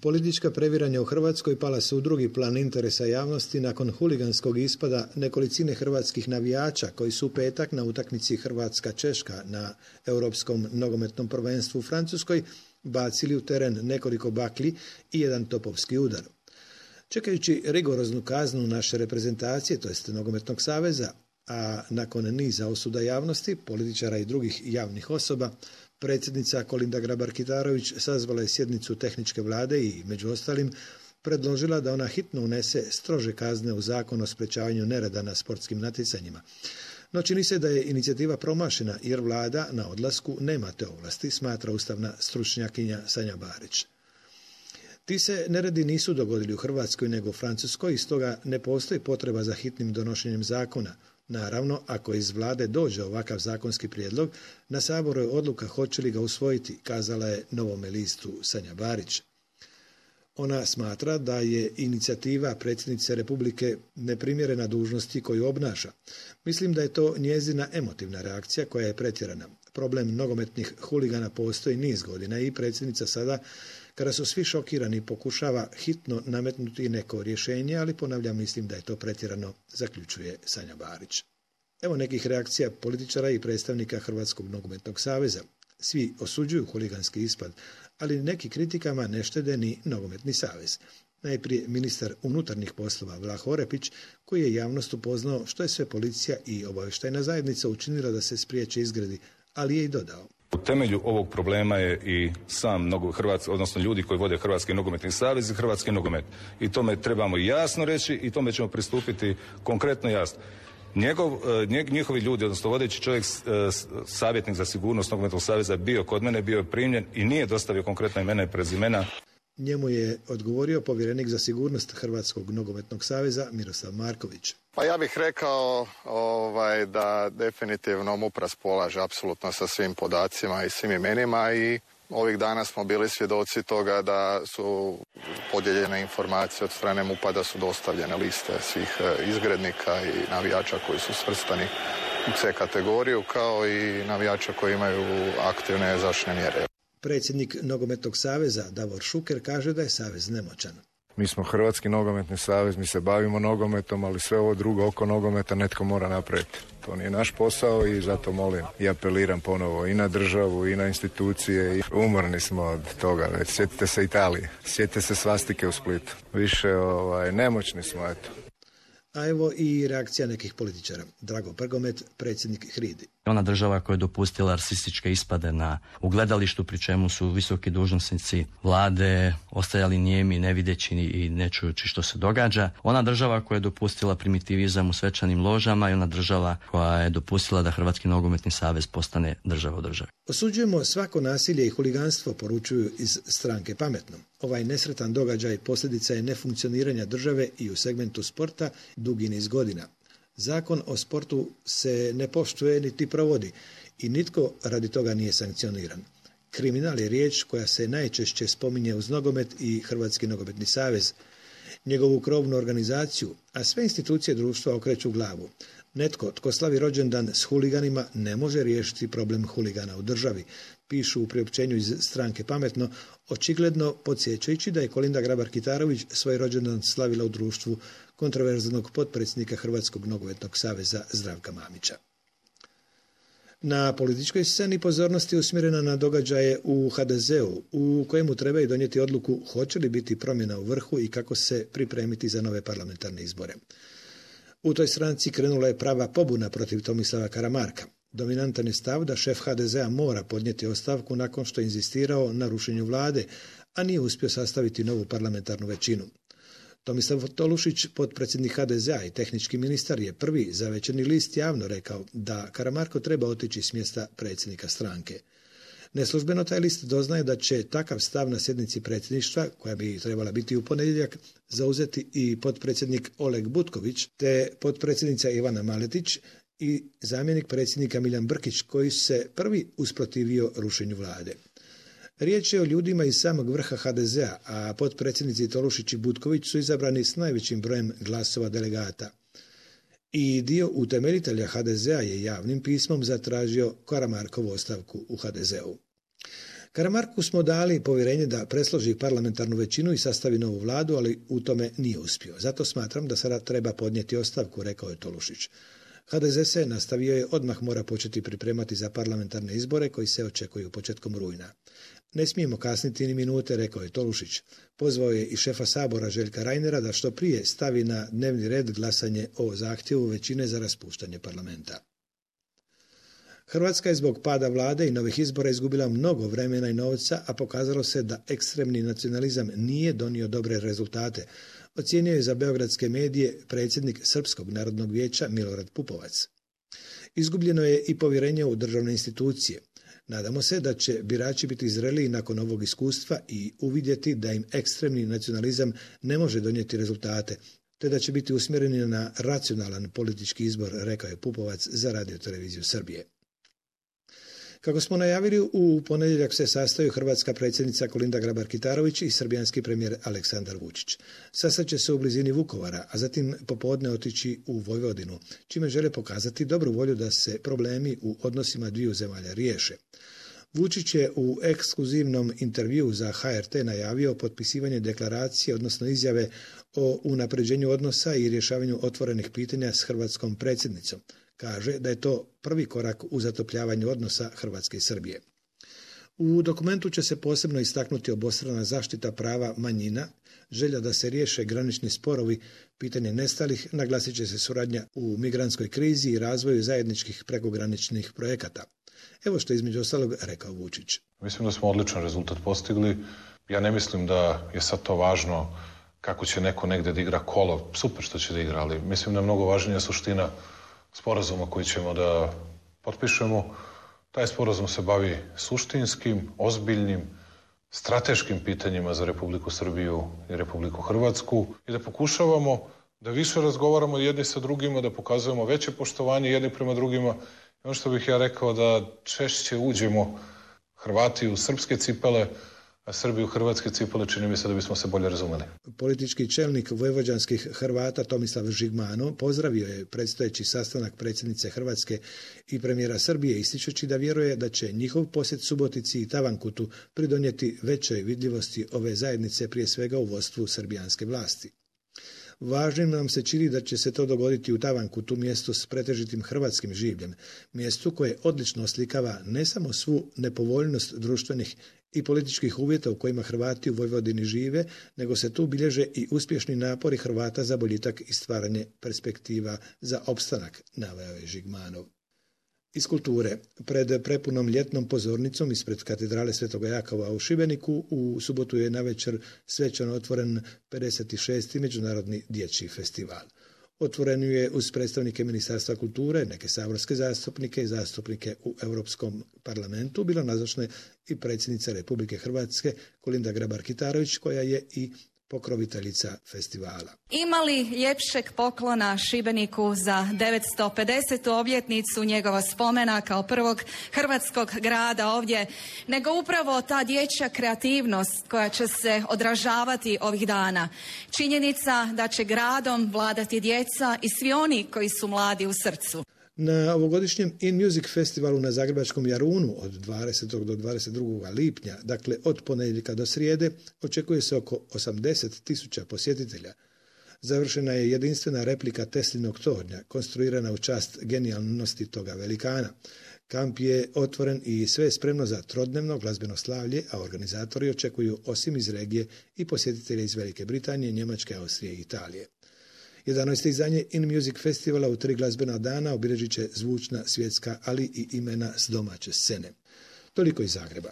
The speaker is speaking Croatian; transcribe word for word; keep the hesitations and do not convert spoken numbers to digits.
Politička previranja u Hrvatskoj pala su u drugi plan interesa javnosti nakon huliganskog ispada nekolicine hrvatskih navijača koji su u petak na utakmici Hrvatska-Češka na Europskom nogometnom prvenstvu u Francuskoj bacili u teren nekoliko baklji i jedan topovski udar. Čekajući rigoroznu kaznu naše reprezentacije, to jest Nogometnog saveza, a nakon niza osuda javnosti, političara i drugih javnih osoba, predsjednica Kolinda Grabar-Kitarović sazvala je sjednicu tehničke vlade i, među ostalim, predložila da ona hitno unese strože kazne u zakon o sprečavanju nereda na sportskim natjecanjima. No čini se da je inicijativa promašena jer vlada na odlasku nema te ovlasti, smatra ustavna stručnjakinja Sanja Barić. Ti se neredi nisu dogodili u Hrvatskoj nego u Francuskoj i stoga ne postoji potreba za hitnim donošenjem zakona. Naravno, ako iz vlade dođe ovakav zakonski prijedlog, na Saboru je odluka hoće li ga usvojiti, kazala je Novome listu Sanja Barić. Ona smatra da je inicijativa predsjednice Republike neprimjerena dužnosti koju obnaša. Mislim da je to njezina emotivna reakcija koja je pretjerana. Problem nogometnih huligana postoji niz godina i predsjednica sada, kada su svi šokirani, pokušava hitno nametnuti neko rješenje, ali ponavljam, mislim da je to pretjerano, zaključuje Sanja Barić. Evo nekih reakcija političara i predstavnika Hrvatskog nogometnog saveza. Svi osuđuju huliganski ispad, ali neki kritikama ne štede ni Nogometni savez. Najprije ministar unutarnjih poslova Vlah Orepić, koji je javnost upoznao što je sve policija i obavještajna zajednica učinila da se spriječe izgredi, ali je i dodao. U temelju ovog problema je i sam mnogo Hrvatski, odnosno ljudi koji vode Hrvatski nogometni savez i Hrvatski nogomet. I tome trebamo jasno reći i tome ćemo pristupiti konkretno jasno. Njegov, njihovi ljudi, odnosno vodeći čovjek, savjetnik za sigurnost Nogometnog saveza, bio kod mene, bio je primljen i nije dostavio konkretna imena i prezimena. Njemu je odgovorio povjerenik za sigurnost Hrvatskog nogometnog saveza Miroslav Marković. Pa ja bih rekao ovaj, da definitivno MUP raspolaže apsolutno sa svim podacima i svim imenima i ovih dana smo bili svjedoci toga da su podijeljene informacije od strane MUP-a da su dostavljene liste svih izgrednika i navijača koji su svrstani u C kategoriju, kao i navijača koji imaju aktivne zaštitne mjere. Predsjednik Nogometnog saveza Davor Šuker kaže da je savez nemoćan. Mi smo Hrvatski nogometni savez, mi se bavimo nogometom, ali sve ovo drugo oko nogometa netko mora napraviti. To nije naš posao i zato molim i apeliram ponovo i na državu i na institucije. I umorni smo od toga već. Sjetite se Italije, sjetite se svastike u Splitu. Više ovaj, nemoćni smo, eto. A evo i reakcija nekih političara. Drago Prgomet, predsjednik Hridi. Ona država koja je dopustila rasističke ispade na ugledalištu, pri čemu su visoki dužnosnici vlade ostajali nijemi, ne videći i ne čujući što se događa. Ona država koja je dopustila primitivizam u svečanim ložama i ona država koja je dopustila da Hrvatski nogometni savez postane država u državi. Osuđujemo svako nasilje i huliganstvo, poručuju iz stranke Pametno. Ovaj nesretan događaj posljedica je nefunkcioniranja države i u segmentu sporta dugi niz godina. Zakon o sportu se ne poštuje niti provodi i nitko radi toga nije sankcioniran. Kriminal je riječ koja se najčešće spominje uz nogomet i Hrvatski nogometni savez, njegovu krovnu organizaciju, a sve institucije društva okreću glavu. Netko tko slavi rođendan s huliganima ne može riješiti problem huligana u državi, pišu u priopćenju iz stranke Pametno, očigledno podsjećajući da je Kolinda Grabar-Kitarović svoj rođendan slavila u društvu kontroverznog potpredsjednika Hrvatskog nogometnog saveza Zdravka Mamića. Na političkoj sceni pozornost je usmjerena na događaje u ha de zeu, u kojemu trebaju donijeti odluku hoće li biti promjena u vrhu i kako se pripremiti za nove parlamentarne izbore. U toj stranci krenula je prava pobuna protiv Tomislava Karamarka. Dominantan je stav da šef ha de zea mora podnijeti ostavku nakon što je inzistirao na rušenju vlade, a nije uspio sastaviti novu parlamentarnu većinu. Tomislav Tolušić, potpredsjednik ha de zea i tehnički ministar, je prvi za Večernji list javno rekao da Karamarko treba otići s mjesta predsjednika stranke. Neslužbeno taj list doznaje da će takav stav na sjednici predsjedništva, koja bi trebala biti u ponedjeljak, zauzeti i potpredsjednik Oleg Butković, te potpredsjednica Ivana Maletić i zamjenik predsjednika Miljan Brkić, koji se prvi usprotivio rušenju vlade. Riječ je o ljudima iz samog vrha ha de zea, a potpredsjednici Tolušić i Butković su izabrani s najvećim brojem glasova delegata. I dio utemeljitelja ha de zea je javnim pismom zatražio Karamarkovu ostavku u ha de zeu. Karamarku smo dali povjerenje da presloži parlamentarnu većinu i sastavi novu vladu, ali u tome nije uspio. Zato smatram da sada treba podnijeti ostavku, rekao je Tolušić. ha de ze se, nastavio je, odmah mora početi pripremati za parlamentarne izbore koji se očekuju početkom rujna. Ne smijemo kasniti ni minute, rekao je Tolušić. Pozvao je i šefa Sabora Željka Reinera da što prije stavi na dnevni red glasanje o zahtjevu većine za raspuštanje parlamenta. Hrvatska je zbog pada vlade i novih izbora izgubila mnogo vremena i novca, a pokazalo se da ekstremni nacionalizam nije donio dobre rezultate, ocijenio je za beogradske medije predsjednik Srpskog narodnog vijeća Milorad Pupovac. Izgubljeno je i povjerenje u državne institucije. Nadamo se da će birači biti zreliji nakon ovog iskustva i uvidjeti da im ekstremni nacionalizam ne može donijeti rezultate, te da će biti usmjereni na racionalan politički izbor, rekao je Pupovac za Radio-televiziju Srbije. Kako smo najavili, u ponedjeljak se sastaju hrvatska predsjednica Kolinda Grabar-Kitarović i srbijanski premijer Aleksandar Vučić. Sastat će se u blizini Vukovara, a zatim popodne otići u Vojvodinu, čime žele pokazati dobru volju da se problemi u odnosima dviju zemalja riješe. Vučić je u ekskluzivnom intervjuu za ha er te najavio potpisivanje deklaracije, odnosno izjave o unapređenju odnosa i rješavanju otvorenih pitanja s hrvatskom predsjednicom. Kaže da je to prvi korak u zatopljavanju odnosa Hrvatske i Srbije. U dokumentu će se posebno istaknuti obostrana zaštita prava manjina, želja da se riješe granični sporovi, pitanje nestalih, naglasit će se suradnja u migrantskoj krizi i razvoju zajedničkih prekograničnih projekata. Evo što je između ostalog rekao Vučić. Mislim da smo odličan rezultat postigli. Ja ne mislim da je sad to važno kako će neko negde da igra kolo. Super što će da igra, ali mislim da je mnogo važnija suština sporazuma koji ćemo da potpišemo. Taj sporazum se bavi suštinskim, ozbiljnim, strateškim pitanjima za Republiku Srbiju i Republiku Hrvatsku i da pokušavamo da više razgovaramo jedni sa drugima, da pokazujemo veće poštovanje jedni prema drugima. I ono što bih ja rekao da češće uđemo Hrvati u srpske cipele, a Srbi u hrvatske cipele, čini mi se da bismo se bolje razumeli. Politički čelnik vojvođanskih Hrvata Tomislav Žigmanov pozdravio je predstojeći sastanak predsjednice Hrvatske i premijera Srbije, ističući da vjeruje da će njihov posjet Subotici i Tavankutu pridonijeti većoj vidljivosti ove zajednice, prije svega u vodstvu srbijanske vlasti. Važnim nam se čini da će se to dogoditi u Tavankutu, mjestu s pretežitim hrvatskim življem, mjestu koje odlično oslikava ne samo svu nepovoljnost društvenih i političkih uvjeta u kojima Hrvati u Vojvodini žive, nego se tu bilježe i uspješni napori Hrvata za boljitak i stvaranje perspektiva za opstanak, naveo je Žigmanov. Iz kulture, pred prepunom ljetnom pozornicom ispred katedrale Svetoga Jakova u Šibeniku u subotu je navečer svečano otvoren pedeset šesti Međunarodni dječji festival. Otvoren je uz predstavnike Ministarstva kulture, neke saborske zastupnike i zastupnike u Europskom parlamentu, bila nazočna i predsjednica Republike Hrvatske Kolinda Grabar-Kitarović, koja je i pokroviteljica festivala. Ima li ljepšeg poklona Šibeniku za devetsto pedesetu obljetnicu njegova spomena kao prvog hrvatskog grada ovdje, nego upravo ta dječja kreativnost koja će se odražavati ovih dana. Činjenica da će gradom vladati djeca i svi oni koji su mladi u srcu. Na ovogodišnjem In Music festivalu na zagrebačkom Jarunu od dvadesetog do dvadeset drugog lipnja, dakle od ponedjeljka do srijede, očekuje se oko osamdeset tisuća posjetitelja. Završena je jedinstvena replika Teslinog tornja, konstruirana u čast genijalnosti toga velikana. Kamp je otvoren i sve je spremno za trodnevno glazbeno slavlje, a organizatori očekuju osim iz regije i posjetitelje iz Velike Britanije, Njemačke, Austrije i Italije. jedanaesto izdanje In Music festivala u tri glazbena dana obilježit će zvučna, svjetska, ali i imena s domaće scene. Toliko iz Zagreba.